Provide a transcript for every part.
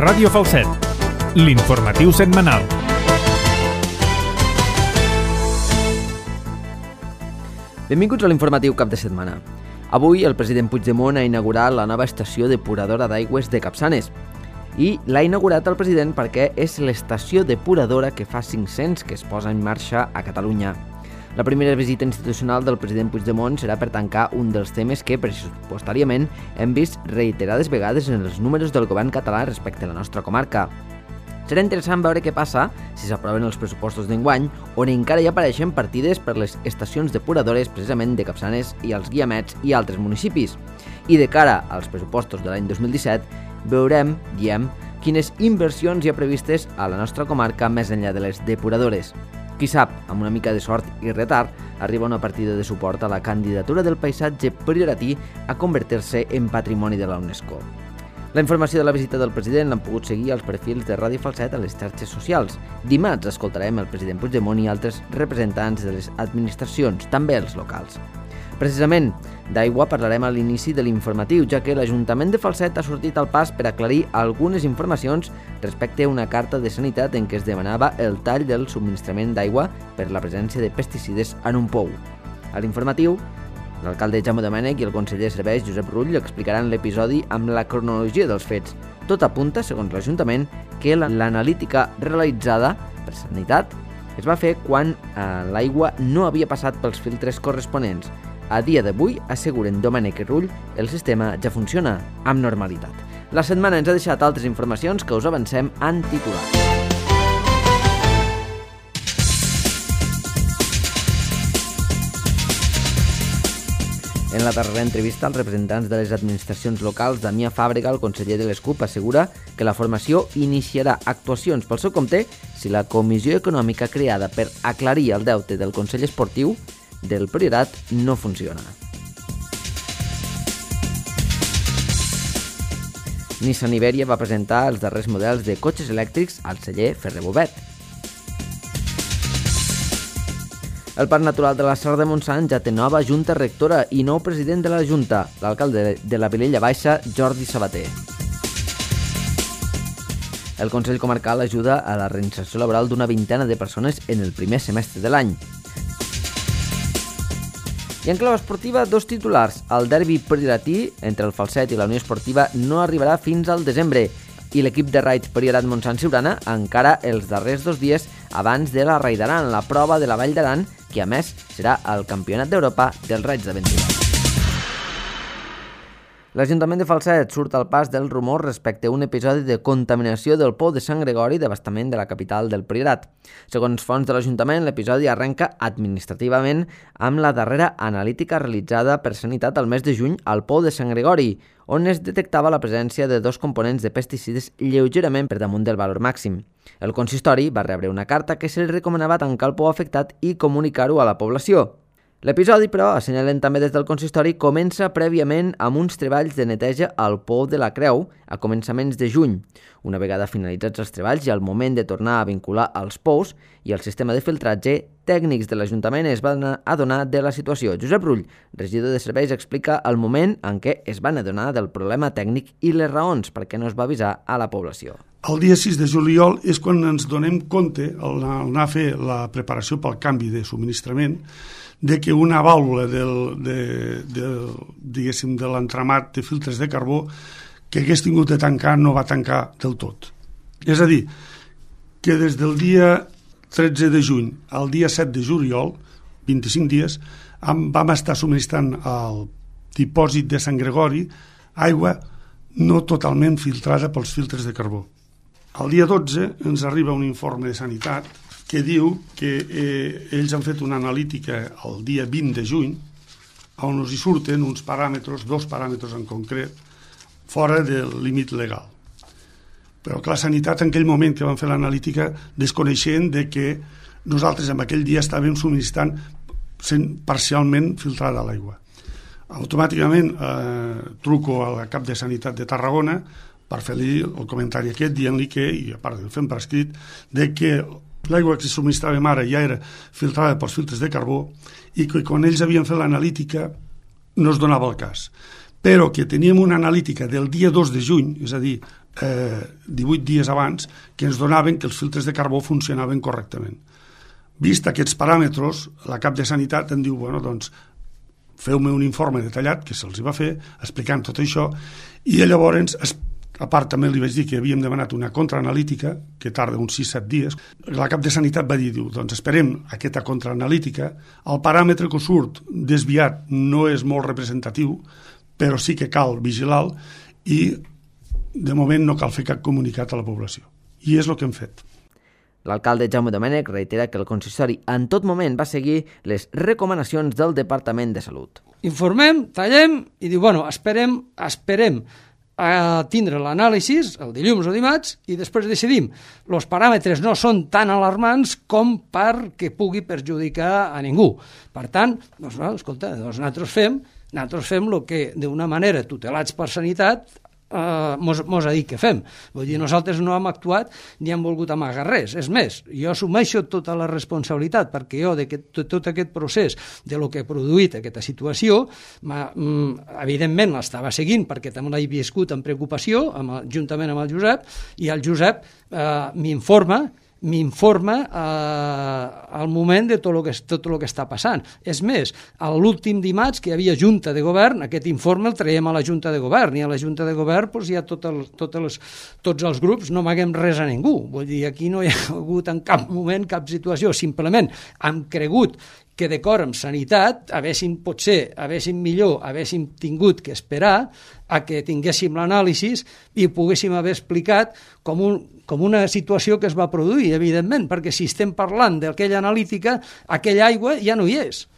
Ràdio Falset, l'informatiu setmanal. Benvinguts a l'informatiu cap de setmana. Avui el president Puigdemont ha inaugurat la nova estació depuradora d'aigües de Capçanes. I l'ha inaugurat el president perquè és l'estació depuradora que fa 500 que es posa en marxa a Catalunya. La primera visita institucional del president Puigdemont serà per tancar un dels temes que, pressupostàriament, hem vist reiterades vegades en els números del govern català respecte a la nostra comarca. Serà interessant veure què passa si s'aproven els pressupostos d'enguany, on encara hi apareixen partides per les estacions depuradores precisament de Capçanes i els Guiamets i altres municipis. I de cara als pressupostos de l'any 2017, veurem, quines inversions hi ha previstes a la nostra comarca més enllà de les depuradores. Qui sap, amb una mica de sort i retard, arriba una partida de suport a la candidatura del paisatge prioratí a convertir-se en patrimoni de la UNESCO. La informació de la visita del president l'han pogut seguir als perfils de Ràdio Falset a les xarxes socials. Dimarts escoltarem el president Puigdemont i altres representants de les administracions, també els locals. Precisament, d'aigua parlarem a l'inici de l'informatiu, ja que l'Ajuntament de Falset ha sortit al pas per aclarir algunes informacions respecte a una carta de sanitat en què es demanava el tall del subministrament d'aigua per la presència de pesticides en un pou. A l'informatiu, l'alcalde Jaume Domènech i el conseller de Serveis Josep Rull explicaran l'episodi amb la cronologia dels fets. Tot apunta, segons l'Ajuntament, que l'analítica realitzada per sanitat es va fer quan l'aigua no havia passat pels filtres corresponents. A dia d'avui, asseguren Domènech i Rull, el sistema ja funciona amb normalitat. La setmana ens ha deixat altres informacions que us avancem en titulars. En la darrera entrevista, els representants de les administracions locals, Damià Fàbrega, el conseller de l'ESCUP, assegura que la formació iniciarà actuacions pel seu compte si la comissió econòmica creada per aclarir el deute del Consell Esportiu del Priorat no funciona. Nissan Iberia va presentar els darrers models de cotxes elèctrics al celler Ferrer Bobet. El Parc Natural de la Serra de Montsant ja té nova junta rectora i nou president de la junta, l'alcalde de la Vilella Baixa, Jordi Sabater. El Consell Comarcal ajuda a la reinserció laboral d'una vintena de persones en el primer semestre de l'any. I en clau esportiva, dos titulars. El derbi prioratí entre el Falset i la Unió Esportiva no arribarà fins al desembre i l'equip de raids Priorat Montsant Siurana encara els darrers 2 dies abans de la Rai d'Aran, la prova de la Vall d'Aran, que a més serà el Campionat d'Europa dels raids d'aventura. L'Ajuntament de Falset surt al pas del rumor respecte a un episodi de contaminació del pou de Sant Gregori d'abastament de la capital del Priorat. Segons fonts de l'Ajuntament, l'episodi arrenca administrativament amb la darrera analítica realitzada per Sanitat al mes de juny al pou de Sant Gregori, on es detectava la presència de 2 components de pesticides lleugerament per damunt del valor màxim. El consistori va rebre una carta que se li recomanava tancar el pou afectat i comunicar-ho a la població. L'episodi, però, assenyalen també des del consistori, comença prèviament amb uns treballs de neteja al pou de la Creu a començaments de juny. Una vegada finalitzats els treballs i al moment de tornar a vincular els pous i el sistema de filtratge, tècnics de l'Ajuntament es van adonar de la situació. Josep Rull, regidor de serveis, explica el moment en què es van adonar del problema tècnic i les raons per què no es va avisar a la població. El dia 6 de juliol és quan ens donem compte, al anar a fer la preparació pel canvi de subministrament, de que una vàlvula de l'entramat de filtres de carbó que hagués tingut de tancar no va tancar del tot. És a dir, que des del dia 13 de juny al dia 7 de juliol, 25 dies, vam estar subministrant al dipòsit de Sant Gregori aigua no totalment filtrada pels filtres de carbó. El dia 12 ens arriba un informe de Sanitat que diu que ells han fet una analítica el dia 20 de juny on hi surten uns paràmetres, 2 paràmetres en concret, fora del límit legal. Però que la Sanitat en aquell moment que van fer l'analítica desconeixent de que nosaltres en aquell dia estàvem subministrant parcialment filtrada l'aigua. Automàticament truco a la cap de Sanitat de Tarragona per fer-li el comentari aquest dient-li que, i a part de fem per escrit, de que l'aigua que subministràvem ara ja era filtrada pels filtres de carbó i que quan ells havien fet l'analítica no es donava el cas. Però que teníem una analítica del dia 2 de juny, és a dir, 18 dies abans, que ens donaven que els filtres de carbó funcionaven correctament. Vist aquests paràmetres, la cap de Sanitat em diu, bueno, doncs, feu-me un informe detallat, que se'ls va fer, explicant tot això, i llavors, a part també li vaig dir que havíem demanat una contraanalítica, que tarda uns 6-7 dies. La cap de Sanitat va dir, doncs esperem aquesta contraanalítica, el paràmetre que surt desviat no és molt representatiu, però sí que cal vigilar i de moment no cal fer cap comunicat a la població. I és el que hem fet. L'alcalde Jaume Domènech reitera que el consistori en tot moment va seguir les recomanacions del Departament de Salut. Informem, tallem i diu, bueno, esperem a tindre l'anàlisi el dilluns o dimarts i després decidim. Els paràmetres no són tan alarmants com perquè pugui perjudicar a ningú. Per tant, doncs, escolta, nosaltres fem el que d'una manera tutelats per Sanitat mos ha dit que fem. Vull dir, nosaltres no hem actuat ni hem volgut amagar res. És més, jo assumeixo tota la responsabilitat perquè jo de tot aquest procés de lo que ha produït aquesta situació, evidentment l'estava seguint perquè també l'he viscut amb preocupació juntament amb el Josep, i el Josep m'informa al moment de tot el que està passant. És més, l'últim dimarts que hi havia Junta de Govern, aquest informe el traiem a la Junta de Govern, i a la Junta de Govern doncs, hi ha tots els grups, no amaguem res a ningú. Vull dir, aquí no hi ha hagut en cap moment cap situació, simplement hem cregut que d'acord amb Sanitat haguéssim tingut que esperar a que tinguéssim l'anàlisi i ho poguéssim haver explicat com una situació que es va produir, evidentment, perquè si estem parlant d'aquella analítica, aquella aigua ja no hi és.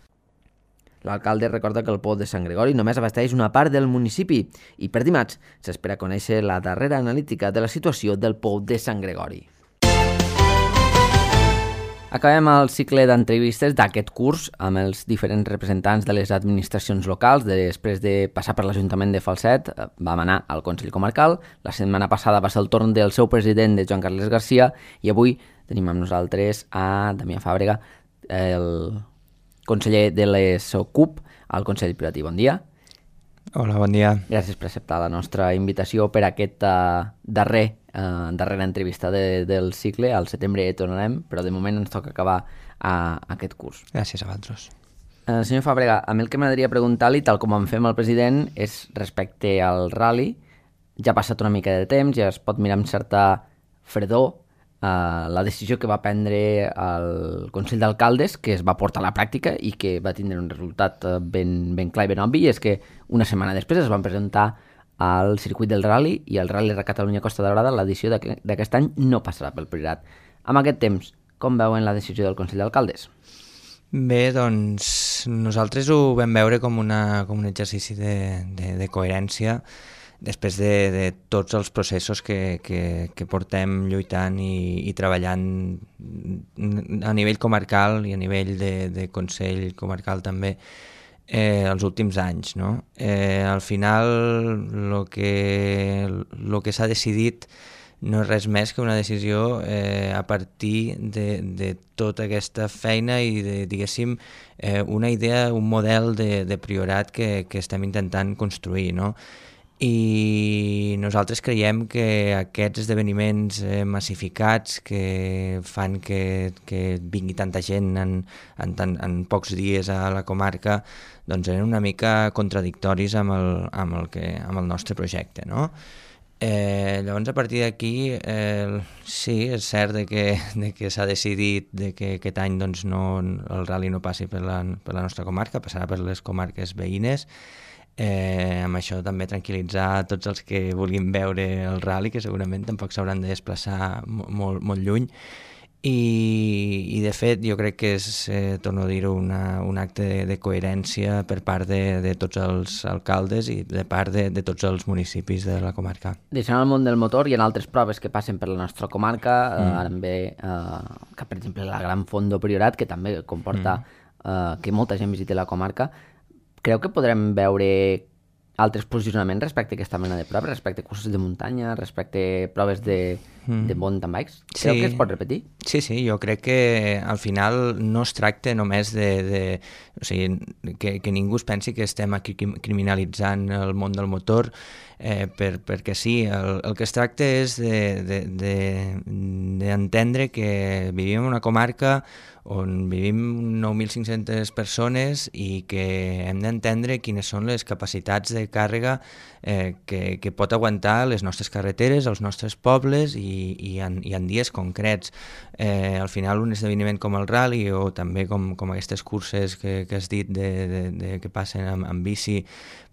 L'alcalde recorda que el pou de Sant Gregori només abasteix una part del municipi i per dimarts s'espera conèixer la darrera analítica de la situació del pou de Sant Gregori. Acabem el cicle d'entrevistes d'aquest curs amb els diferents representants de les administracions locals. Després de passar per l'Ajuntament de Falset, vam anar al Consell Comarcal. La setmana passada va ser el torn del seu president, de Joan Carles Garcia, i avui tenim amb nosaltres a Damià Fàbrega, el conseller de les CUP al Consell Piratí. Bon dia. Hola, bon dia. Gràcies per acceptar la nostra invitació per aquesta darrera entrevista del cicle. Al setembre tornarem, però de moment ens toca acabar aquest curs. Gràcies a vosaltres. Senyor Fàbrega, a mi el que m'agradaria preguntar-li, tal com en fem al president, és respecte al rally. Ja ha passat una mica de temps, ja es pot mirar amb certa fredor la decisió que va prendre el Consell d'Alcaldes, que es va portar a la pràctica i que va tindre un resultat ben clar i ben obvi, és que una setmana després es van presentar al circuit del rally i el Rally de Catalunya Costa Daurada, l'edició d'aquest any, no passarà pel Priorat. Amb aquest temps, com veuen la decisió del Consell d'Alcaldes? Bé, doncs nosaltres ho vam veure com un exercici de coherència després de tots els processos que portem lluitant i treballant a nivell comarcal i a nivell de Consell Comarcal també els últims anys, no? Al final el que s'ha decidit no és res més que una decisió a partir de tota aquesta feina i de, diguéssim, una idea, un model de Priorat que estem intentant construir, no? I nosaltres creiem que aquests esdeveniments massificats que fan que vingui tanta gent en pocs dies a la comarca doncs eren una mica contradictoris amb el nostre projecte, no? Llavors a partir d'aquí sí, és cert que s'ha decidit que aquest any doncs, el rally no passi per la nostra comarca, passarà per les comarques veïnes. Amb això també tranquil·litzar tots els que vulguin veure el rally, que segurament tampoc s'hauran de desplaçar molt lluny, i de fet jo crec que és, torno a dir-ho, un acte de coherència per part de tots els alcaldes i de part de tots els municipis de la comarca. Deixant el món del motor, hi ha altres proves que passen per la nostra comarca, ara ve que per exemple la Gran Fondo Priorat, que també comporta que molta gent visiti la comarca. Creu que podrem veure altres posicionaments respecte a aquesta mena de proves, respecte a cursos de muntanya, respecte a proves de mountain bikes? Creu que es pot repetir? Sí, jo crec que al final no es tracta només o sigui, que ningú es pensi que estem aquí criminalitzant el món del motor, perquè sí, el que es tracta és d'entendre que vivim en una comarca on vivim 9.500 persones i que hem d'entendre quines són les capacitats de càrrega que pot aguantar les nostres carreteres, els nostres pobles i en dies concrets. Al final un esdeveniment com el rally o també com aquestes curses que has dit que passen amb bici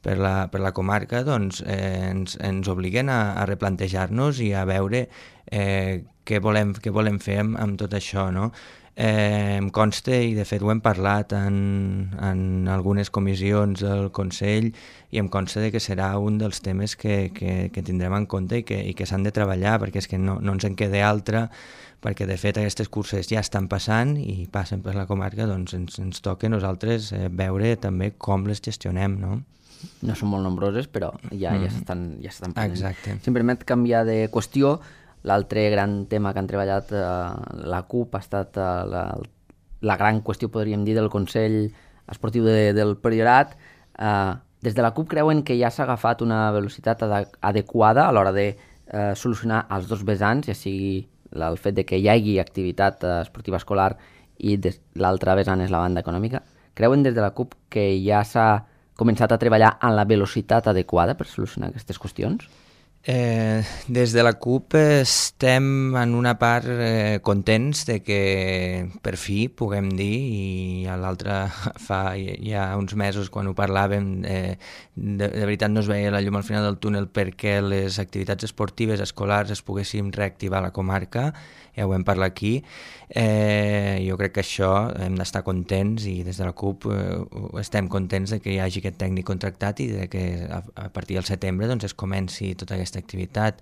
per la comarca, doncs ens obliguen a replantejar-nos i a veure què volem fer amb tot això, no? Em consta, i de fet ho hem parlat en algunes comissions del Consell, i em consta que serà un dels temes que tindrem en compte i que s'han de treballar, perquè és que no ens en queda altra, perquè de fet aquestes curses ja estan passant i passen per la comarca, doncs ens toca a nosaltres veure també com les gestionem, no? No són molt nombroses, però ja s'estan prenent. Exacte. Si em permet canviar de qüestió, l'altre gran tema que han treballat la CUP ha estat la gran qüestió, podríem dir, del Consell Esportiu del Priorat. Des de la CUP creuen que ja s'ha agafat una velocitat adequada a l'hora de solucionar els dos vessants, ja sigui el fet de que hi hagi activitat esportiva escolar i l'altre vessant és la banda econòmica. Creuen des de la CUP que ja s'ha començat a treballar en la velocitat adequada per solucionar aquestes qüestions? Des de la CUP estem en una part contents de que per fi puguem dir, i a l'altre fa ja uns mesos quan ho parlàvem de veritat no es veia la llum al final del túnel perquè les activitats esportives escolars es poguessin reactivar a la comarca, ja ho vam parlar aquí. Jo crec que això hem d'estar contents, i des de la CUP estem contents de que hi hagi aquest tècnic contractat i de que a partir del setembre doncs, es comenci tota aquesta activitat.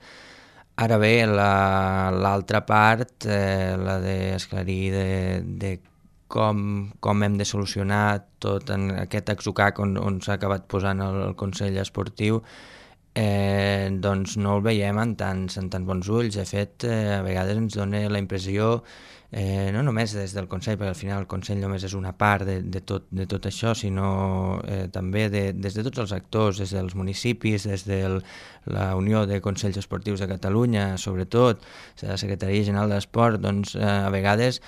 Ara bé, l'altra part, la d'esclarir de com hem de solucionar tot en aquest atzucac on s'ha acabat posant el Consell Esportiu, doncs no el veiem en tants bons ulls. De fet, a vegades ens dona la impressió, no només des del Consell, perquè al final el Consell només és una part de tot això, sinó també des de tots els actors, des dels municipis, des de la Unió de Consells Esportius de Catalunya, sobretot, la Secretaria General d'Esport, doncs a vegades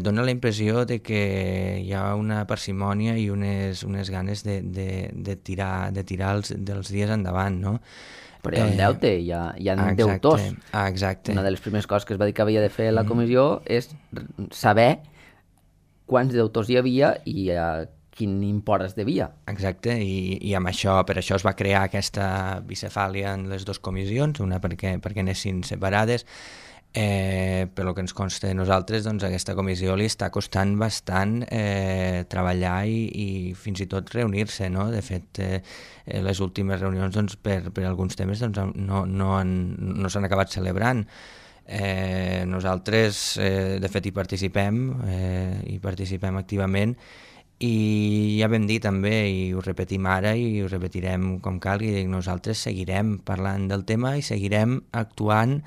dona la impressió de que hi ha una parsimònia i unes ganes de tirar dels dies endavant, no? Però hi ha un deute, hi ha deutors. Exacte. Una de les primeres coses que es va dir que havia de fer la comissió és saber quants deutors hi havia i a quin import es devia. Exacte, i amb això, per això es va crear aquesta bicefàlia en les dues comissions, una perquè anessin separades. Per el que ens consta a nosaltres, doncs aquesta comissió li està costant bastant treballar i fins i tot reunir-se, no? De fet, les últimes reunions doncs, per alguns temes doncs, no s'han acabat celebrant. Nosaltres, de fet, hi participem activament, i ja vam dir també, i ho repetim ara i ho repetirem com calgui, nosaltres seguirem parlant del tema i seguirem actuant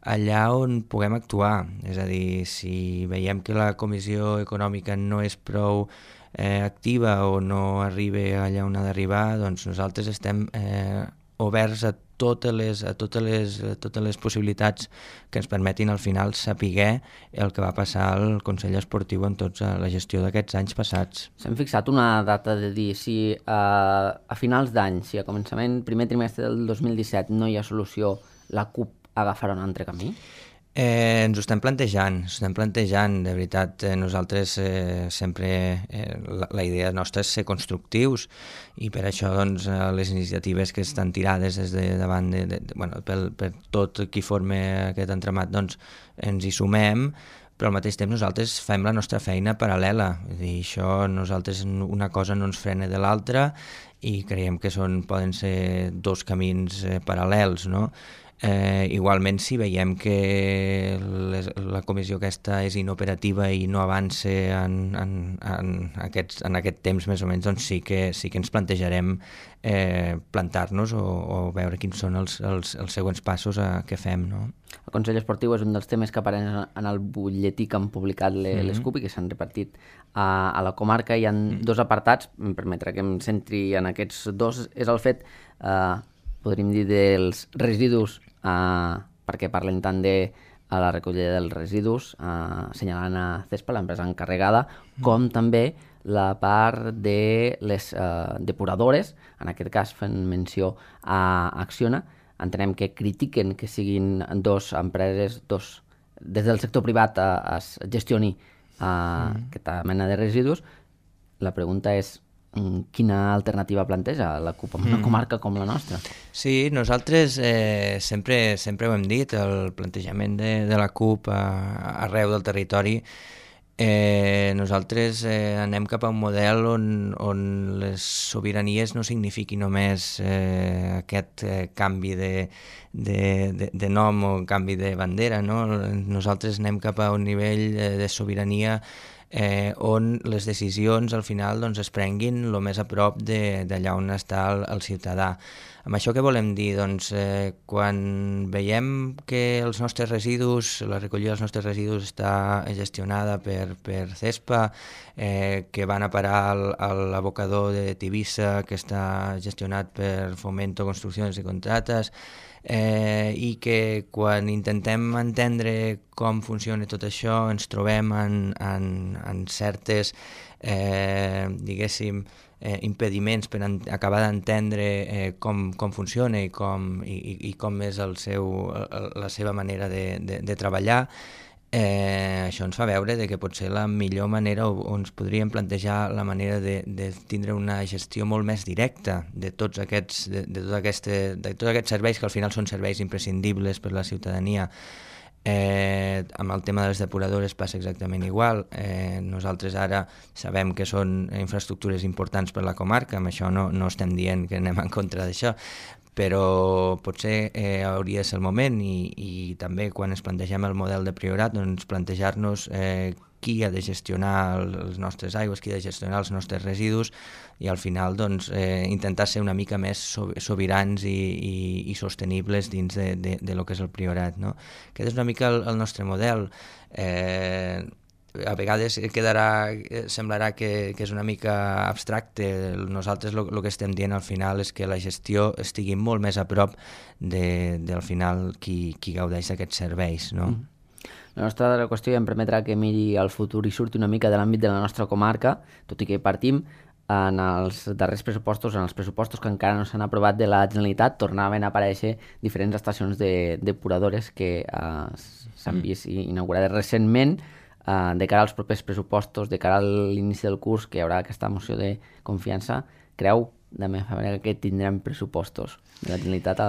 allà on puguem actuar. És a dir, si veiem que la Comissió Econòmica no és prou activa o no arriba allà on ha d'arribar, doncs nosaltres estem oberts a totes les possibilitats que ens permetin al final saber el que va passar al Consell Esportiu en tota la gestió d'aquests anys passats. S'han fixat una data de dir si a finals d'any, si a primer trimestre del 2017 no hi ha solució, la CUP agafarà un altre camí? Ens ho estem plantejant, de veritat. Nosaltres sempre, la idea nostra és ser constructius, i per això doncs, les iniciatives que estan tirades des de davant per tot qui forma aquest entramat, doncs ens hi sumem, però al mateix temps nosaltres fem la nostra feina paral·lela. És dir, això, nosaltres una cosa no ens frena de l'altra i creiem que poden ser dos camins paral·lels, no? Igualment, si veiem que la comissió aquesta és inoperativa i no avança en aquest temps més o menys, doncs sí que ens plantejarem plantar-nos o veure quins són els següents passos que fem, no? El Consell Esportiu és un dels temes que apareix en el butlletí que han publicat les CUP i que s'han repartit a la comarca. Hi ha dos apartats, em permetrà que em centri en aquests dos. És el fet, podríem dir, dels residus, perquè parlen tant de la recollida dels residus, assenyalant a CESPA, l'empresa encarregada, com també la part de les depuradores, en aquest cas fent menció a Acciona. Entenem que critiquen que siguin dos empreses, des del sector privat es gestioni aquesta mena de residus. La pregunta és quina alternativa planteja la CUP en una comarca com la nostra? Sí, nosaltres sempre ho hem dit, el plantejament de la CUP arreu del territori. Nosaltres anem cap a un model on les sobiranies no signifiqui només aquest canvi de nom o canvi de bandera, no? Nosaltres anem cap a un nivell de sobirania on les decisions al final doncs, es prenguin el més a prop d'allà on està el ciutadà. Amb això què volem dir? Doncs quan veiem que els nostres residus, la recollida dels nostres residus està gestionada per CESPA, que van a parar a l'abocador de Tivissa, que està gestionat per Fomento Construcciones i Contrates, i que quan intentem entendre com funciona tot això ens trobem en certes, diguéssim, impediments per acabar d'entendre com funciona i com és la seva manera de treballar. Això ens fa veure que potser la millor manera o ens podríem plantejar la manera de tindre una gestió molt més directa de tots aquests serveis que al final són serveis imprescindibles per la ciutadania. Amb el tema de les depuradores passa exactament igual. Nosaltres ara sabem que són infraestructures importants per la comarca, amb això no estem dient que anem en contra d'això, però potser hauria de ser el moment i també quan ens plantegem el model de priorat doncs plantejar-nos qui ha de gestionar les nostres aigües, qui ha de gestionar els nostres residus i al final doncs, intentar ser una mica més sobirans i sostenibles dins de lo que és el priorat, no? Aquest és una mica el nostre model. A vegades semblarà que és una mica abstracte. Nosaltres el que estem dient al final és que la gestió estigui molt més a prop del final qui gaudeix d'aquests serveis, no? La nostra qüestió ja em permetrà que miri al futur i surti una mica de l'àmbit de la nostra comarca, tot i que partim en els darrers pressupostos, en els pressupostos que encara no s'han aprovat de la Generalitat, tornaven a aparèixer diferents estacions depuradores que s'han vist inaugurades recentment. De cara als propers pressupostos, de cara a l'inici del curs, que hi haurà aquesta moció de confiança, creu de manera que tindrem pressupostos de la Generalitat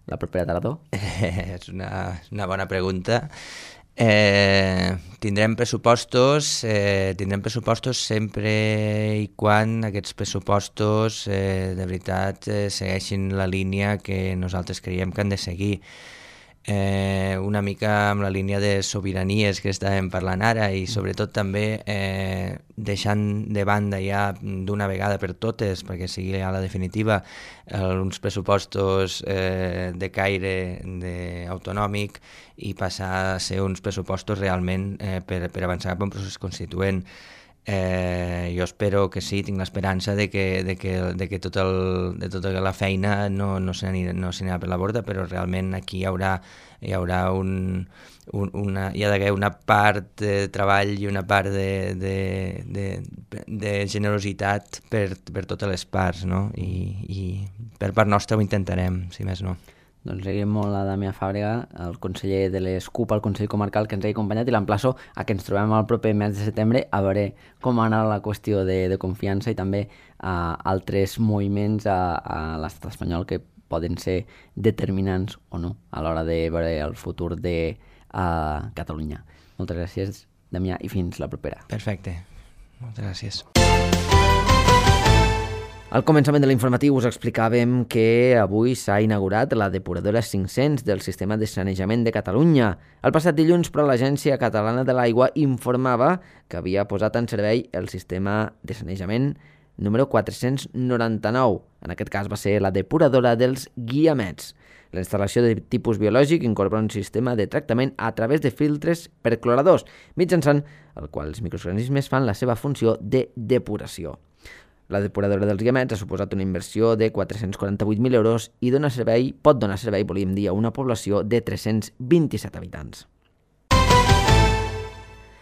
la propera tardor? És una bona pregunta. Tindrem pressupostos sempre i quan aquests pressupostos de veritat segueixin la línia que nosaltres creiem que han de seguir. Una mica amb la línia de sobiranies que estàvem parlant ara i sobretot també deixant de banda ja d'una vegada per totes, perquè sigui ja la definitiva, uns pressupostos de caire autonòmic i passar a ser uns pressupostos realment per avançar cap a un procés constituent. Jo espero que sí, tinc l'esperança de que tota la feina no se n'anirà per la borda, però realment aquí hi haurà d'haver una part de treball i una part de generositat per totes les parts, no? I per part nostra ho intentarem, si més no. Doncs seguim molt a Damià Fàbrega, el conseller de les CUP al Consell Comarcal que ens ha acompanyat i l'emplaço a que ens trobem el proper mes de setembre a veure com ha anat la qüestió de confiança i també altres moviments a l'estat espanyol que poden ser determinants o no a l'hora de veure el futur de Catalunya. Moltes gràcies, Damià, i fins la propera. Perfecte. Moltes gràcies. Al començament de l'informatiu us explicàvem que avui s'ha inaugurat la depuradora 500 del Sistema de Sanejament de Catalunya. El passat dilluns, però, l'Agència Catalana de l'Aigua informava que havia posat en servei el sistema de sanejament número 499. En aquest cas va ser la depuradora dels Guiamets. La instal·lació de tipus biològic incorpora un sistema de tractament a través de filtres percloradors, mitjançant el qual els microorganismes fan la seva funció de depuració. La depuradora dels Guiamets ha suposat una inversió de 448.000 euros i pot donar servei, volíem dir, a una població de 327 habitants.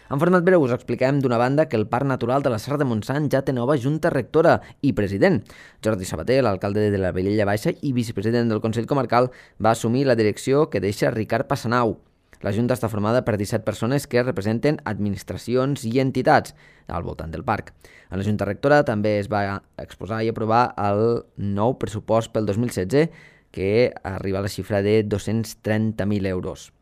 En format breu us expliquem d'una banda que el Parc Natural de la Serra de Montsant ja té nova junta rectora i president. Jordi Sabater, l'alcalde de la Vilella Baixa i vicepresident del Consell Comarcal, va assumir la direcció que deixa Ricard Passanau. La Junta està formada per 17 persones que representen administracions i entitats al voltant del parc. En la Junta Rectora també es va exposar i aprovar el nou pressupost pel 2016, que arriba a la xifra de 230.000 euros.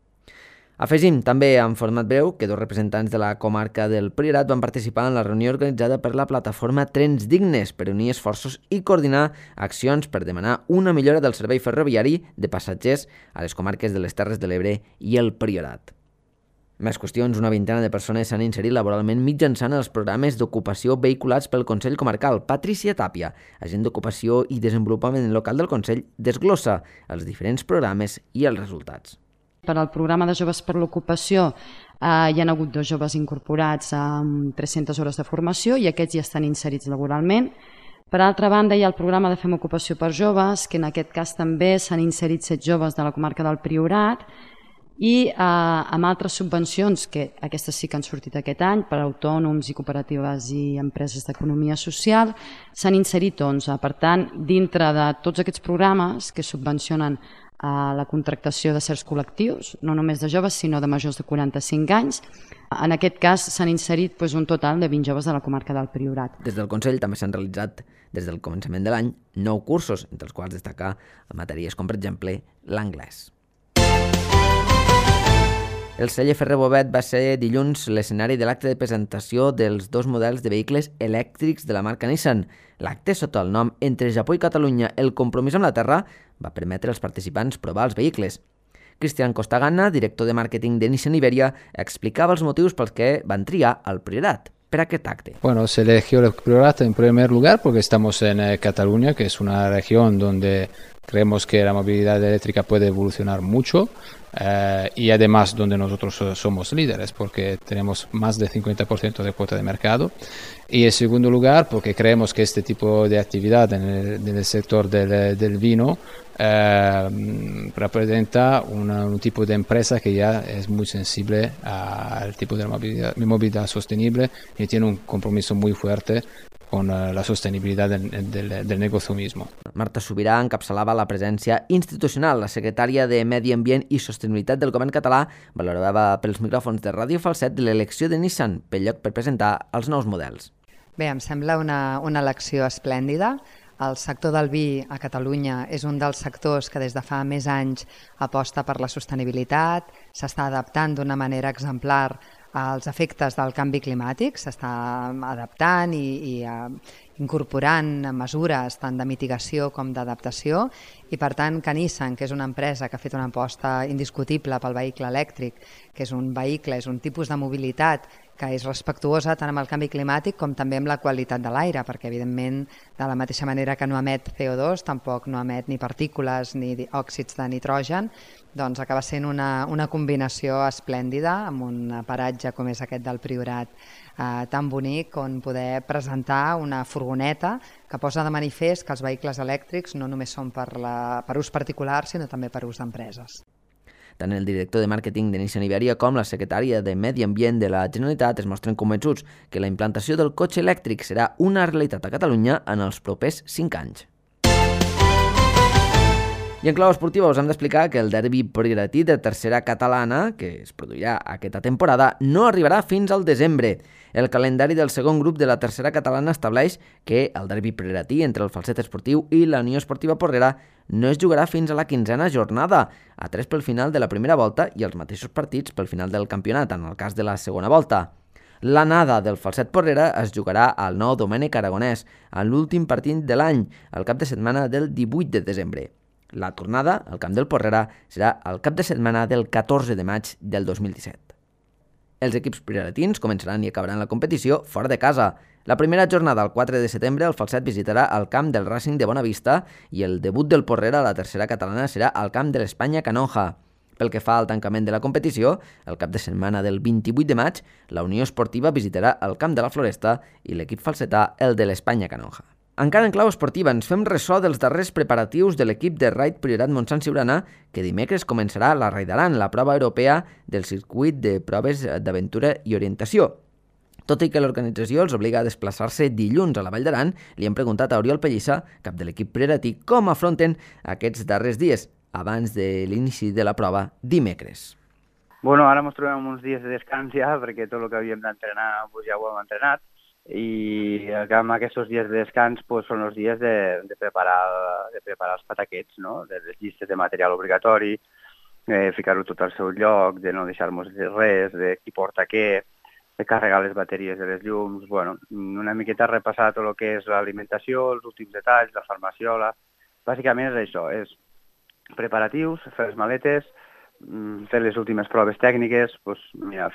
Afegim també en format breu que dos representants de la comarca del Priorat van participar en la reunió organitzada per la plataforma Trens Dignes per unir esforços i coordinar accions per demanar una millora del servei ferroviari de passatgers a les comarques de les Terres de l'Ebre i el Priorat. Més qüestions, una vintena de persones s'han inserit laboralment mitjançant els programes d'ocupació vehiculats pel Consell Comarcal. Patricia Tàpia, agent d'ocupació i desenvolupament local del Consell, desglossa els diferents programes i els resultats. Per al programa de Joves per l'Ocupació hi ha hagut 2 joves incorporats amb 300 hores de formació i aquests ja estan inserits laboralment. Per altra banda, hi ha el programa de Fem Ocupació per Joves, que en aquest cas també s'han inserit 7 joves de la comarca del Priorat, i amb altres subvencions, que aquestes sí que han sortit aquest any, per a autònoms i cooperatives i empreses d'economia social, s'han inserit 11. Per tant, dintre de tots aquests programes que subvencionen a la contractació de certs col·lectius, no només de joves, sinó de majors de 45 anys. En aquest cas s'han inserit un total de 20 joves de la comarca del Priorat. Des del Consell també s'han realitzat, des del començament de l'any, 9 cursos, entre els quals destacar matèries com, per exemple, l'anglès. El celler Ferrer Bovet va ser dilluns l'escenari de l'acte de presentació dels 2 models de vehicles elèctrics de la marca Nissan. L'acte, sota el nom Entre Japó i Catalunya, el compromís amb la terra, va permetre als participants provar els vehicles. Cristian Costagana, director de màrqueting de Nissan Iberia, explicava els motius pels que van triar el Priorat per aquest acte. Bueno, se eligió el Priorat en primer lugar porque estamos en Cataluña, que es una región donde creemos que la movilidad eléctrica puede evolucionar mucho y además donde nosotros somos líderes porque tenemos más del 50% de cuota de mercado. Y en segundo lugar porque creemos que este tipo de actividad en el sector del vino representa un tipo de empresa que ya es muy sensible al tipo de movilidad sostenible y tiene un compromiso muy fuerte con la sostenibilidad del negocio mismo. Marta Subirà encapçalava la presència institucional. La secretària de Medi Ambient i Sostenibilitat del Govern català valorava pels micròfons de Ràdio Falset l'elecció de Nissan pel lloc per presentar els nous models. Bé, em sembla una elecció esplèndida. El sector del vi a Catalunya és un dels sectors que des de fa més anys aposta per la sostenibilitat, s'està adaptant d'una manera exemplar als efectes del canvi climàtic, s'està adaptant i incorporant mesures tant de mitigació com d'adaptació i per tant que Nissan, que és una empresa que ha fet una aposta indiscutible pel vehicle elèctric, que és un vehicle, és un tipus de mobilitat que és respectuosa tant amb el canvi climàtic com també amb la qualitat de l'aire, perquè evidentment de la mateixa manera que no emet CO2, tampoc no emet ni partícules ni òxids de nitrogen, doncs acaba sent una combinació esplèndida amb un paratge com és aquest del Priorat tan bonic on poder presentar una furgoneta que posa de manifest que els vehicles elèctrics no només són per ús particular sinó també per ús d'empreses. Tant el director de màrqueting de Nissan Iberia com la secretària de Medi Ambient de la Generalitat es mostren convençuts que la implantació del cotxe elèctric serà una realitat a Catalunya en els propers 5 anys. I en clau esportiva us hem d'explicar que el derbi prioratí de tercera catalana, que es produirà aquesta temporada, no arribarà fins al desembre. El calendari del segon grup de la tercera catalana estableix que el derbi prioratí entre el Falset Esportiu i la Unió Esportiva Porrera no es jugarà fins a la 15a jornada, a 3 pel final de la primera volta i els mateixos partits pel final del campionat, en el cas de la segona volta. L'anada del Falset Porrera es jugarà al Nou Domènec Aragonès, en l'últim partit de l'any, el cap de setmana del 18 de desembre. La tornada al camp del Porrera serà el cap de setmana del 14 de maig del 2017. Els equips prioratins començaran i acabaran la competició fora de casa. La primera jornada, el 4 de setembre, el Falset visitarà el camp del Racing de Bonavista i el debut del Porrera a la tercera catalana serà al camp de l'Espanya Canonja. Pel que fa al tancament de la competició, el cap de setmana del 28 de maig, la Unió Esportiva visitarà el camp de la Floresta i l'equip falsetà el de l'Espanya Canonja. Encara en clau esportiva, ens fem ressò dels darrers preparatius de l'equip de Raid Priorat Montsant Siurana, que dimecres començarà la Raidaran, la prova europea del circuit de proves d'aventura i orientació. Tot i que l'organització els obliga a desplaçar-se dilluns a la Vall d'Aran, li hem preguntat a Oriol Pellissa, cap de l'equip prioratí, com afronten aquests darrers dies, abans de l'inici de la prova dimecres. Bueno, ara ens trobem uns dies de descans ja, perquè tot el que havíem d'entrenar ja ho hem entrenat, i amb aquests dies de descans són els dies de preparar els pataquets, no? De les llistes de material obligatori, ficar-ho tot al seu lloc, de no deixar-nos res, de qui porta què, de carregar les bateries de les llums, bueno, una miqueta repassar tot el que és l'alimentació, els últims detalls, la farmaciola. Bàsicament és això, és preparatius, fer les maletes, fer les últimes proves tècniques,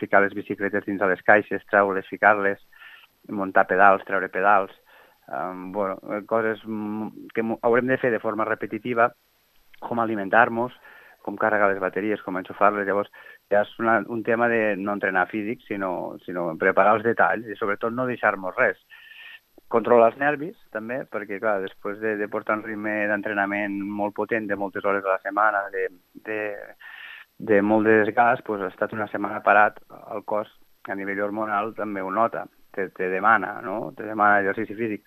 ficar les bicicletes dins a les caixes, treure-les, ficar-les, muntar pedals, treure pedals, coses que haurem de fer de forma repetitiva, com alimentar-nos, com carregar les bateries, com enxufar-les. Llavors ja és un tema de no entrenar físic, sinó preparar els detalls i sobretot no deixar-nos res. Controlar els nervis, també, perquè clar, després de portar un ritme d'entrenament molt potent, de moltes hores a la setmana, de molt de desgast, ha estat una setmana parat, el cos a nivell hormonal també ho nota. Te demana, no? Te demana exercici físic.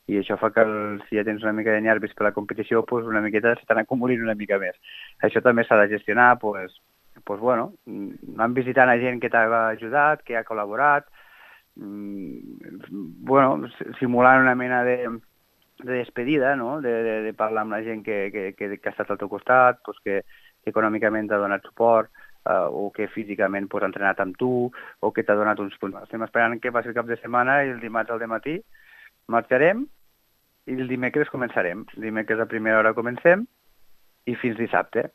I això fa que si ja tens una mica de nervis per la competició, una miqueta se t'han acumulat una mica més. Això també s'ha de gestionar, vam visitant a gent que t'ha ajudat, que ha col·laborat, simulant una mena de despedida, no? De parlar amb la gent que ha estat al teu costat, que econòmicament t'ha donat suport, o que físicament ha entrenat amb tu, o que t'ha donat uns punts. Estem esperant que passi el cap de setmana i el dimarts al dematí marxarem i el dimecres començarem. Dimecres a primera hora comencem i fins dissabte.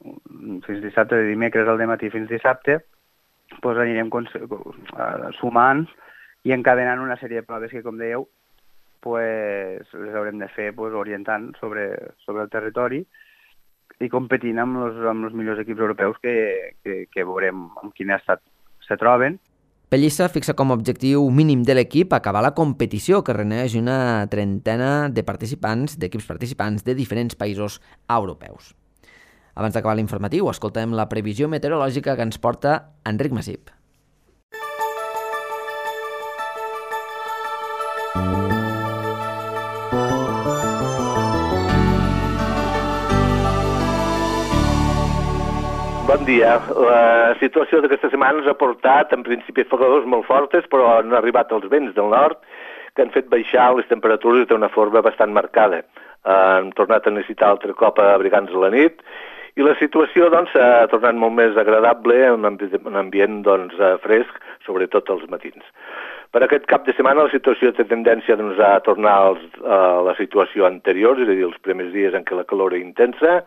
Fins dissabte, de dimecres al dematí fins dissabte, anirem sumant i encadenant una sèrie de proves que, com dèieu, les haurem de fer orientant sobre el territori i competint amb els millors equips europeus que veurem en quin estat se troben. Pellissa fixa com a objectiu mínim de l'equip acabar la competició, que reuneix una trentena d'equips participants de diferents països europeus. Abans d'acabar l'informatiu, escoltem la previsió meteorològica que ens porta Enric Massip. Bon dia. La situació d'aquesta setmana ens ha portat, en principi, fredors molt fortes, però han arribat els vents del nord que han fet baixar les temperatures d'una forma bastant marcada. Hem tornat a necessitar altre cop abrigar-nos a la nit i la situació s'ha tornat molt més agradable, un ambient fresc, sobretot als matins. Per aquest cap de setmana la situació té tendència a tornar a la situació anterior, és a dir, els primers dies en què la calor era intensa.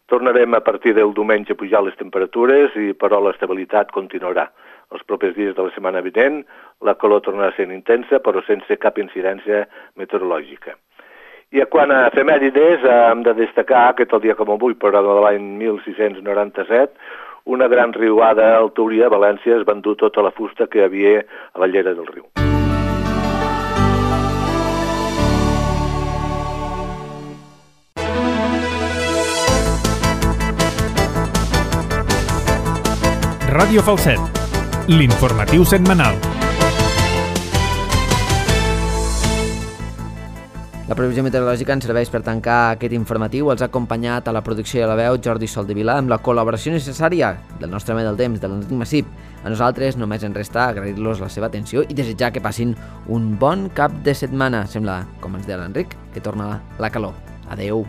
Tornarem a partir del diumenge a pujar les temperatures, però l'estabilitat continuarà. Els propers dies de la setmana vinent la calor tornarà a ser intensa, però sense cap incidència meteorològica. I quant a efemèrides, hem de destacar que tot dia com avui, però de l'any 1697, una gran riuada al Túria, a València, es va endur tota la fusta que hi havia a la llera del riu. Ràdio Falset, l'informatiu setmanal. La previsió meteorològica ens serveix per tancar aquest informatiu. Els ha acompanyat a la producció i a la veu Jordi Soldevila amb la col·laboració necessària del nostre home del temps, de l'Enric Massip. A nosaltres només ens resta agrair-los la seva atenció i desitjar que passin un bon cap de setmana. Sembla, com ens deia l'Enric, que torna la calor. Adeu.